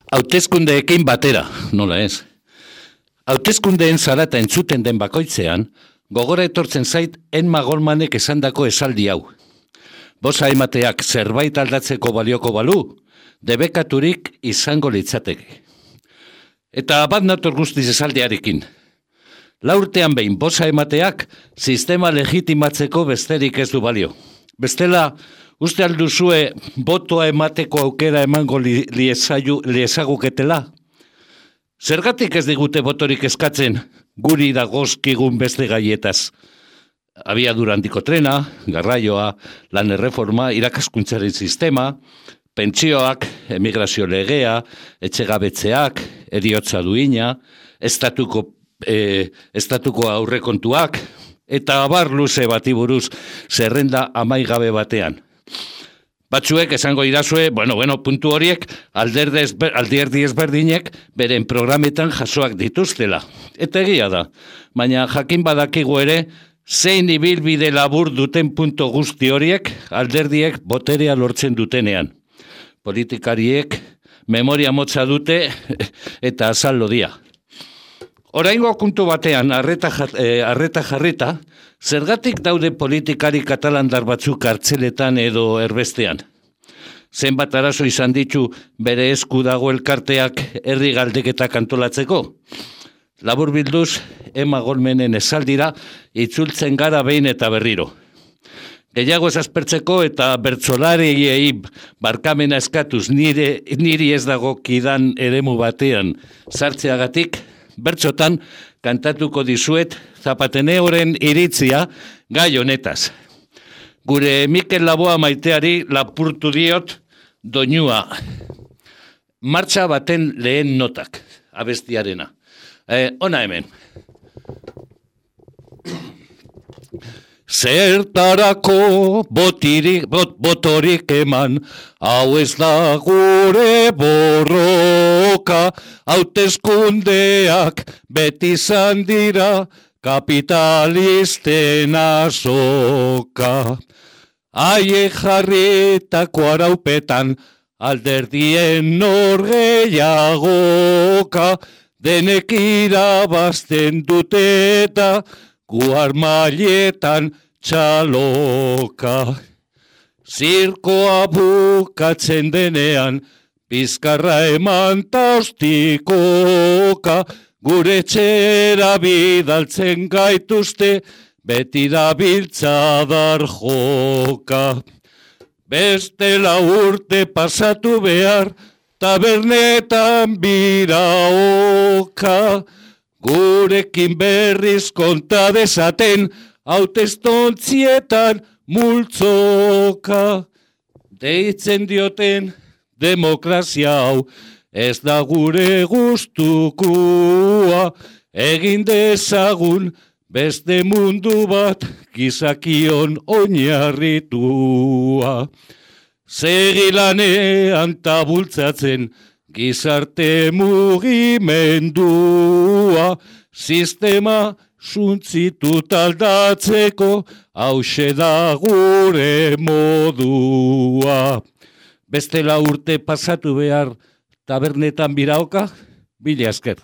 Hauteskundeekin batera, nola ez? Hauteskundeen zarata entzuten den bakoitzean, gogora etortzen zait Emma Goldmanek esandako esaldi hau. Boza emateak zerbait aldatzeko balioko balu, debekaturik izango litzateke. Eta bat nator guztiz esaldiarekin. 4 urtean behin boza emateak sistema legitimatzeko besterik ez du balio. Bestela, uste alduzue botoa emateko aukera emango liezaguketela? Zergatik ez digute botorik eskatzen guri dagozkigun beste gaietaz? Abiadura handiko trena, garraioa, lan erreforma, irakaskuntzaren sistema, pentsioak, emigrazio legea, etxegabetzeak, heriotza duina, estatuko aurrekontuak, eta abar luze bati buruz zerrenda amaigabe batean. Batzuek esango idazue, puntu horiek alderdi ezberdinek beren programetan jasoak dituztela. Eta egia da, baina jakin badakigu ere, zein ibilbide labur duten puntu guzti horiek alderdiek boterea lortzen dutenean. Politikariek memoria motza dute eta azal lodia. Oraingo kontu batean arreta jarrita, zergatik daude politikari katalandar batzuk kartzeletan edo erbestean. Zenbat arazo izan ditu bere esku dago elkarteak herri galdeketak antolatzeko. Labur bilduz, Emma Goldmanen esaldira itzultzen gara behin eta berriro. Gehiago ez aspertzeko eta bertsolariei barkamena eskatuz niri ez dagokidan eremu batean sartzeagatik, bertsotan kantatuko dizuet Zapateneoren iritzia gai honetaz. Gure Mikel Laboa maiteari lapurtu diot doinua. Martxa baten lehen notak, abestiarena. Ona hemen. Zertarako botorik eman, hau ez da gure borroka, hauteskundeak beti izan dira kapitalisten azoka. Haiek jarritako araupetan alderdien norgeiagoka, denek irabazten dute eta gu armailetan txaloka. Zirkoa bukatzen denean, bizkarra eman taustikoka, gure txera bidaltzen gaituzte, beti da biltzadar joka. Bestela urte pasatu behar, tabernetan biraoka, gurekin berriz konta dezaten, hautestontzietan multzoka. Deitzen dioten demokrazia hau, ez da gure gustukua, egin dezagun beste mundu bat gizakion oinarritua. Segilanean tabultzatzen gizarte mugimendua, sistema suntzitut aldatzeko, hause da gure modua. Bestela urte pasatu behar tabernetan biraoka, mila esker.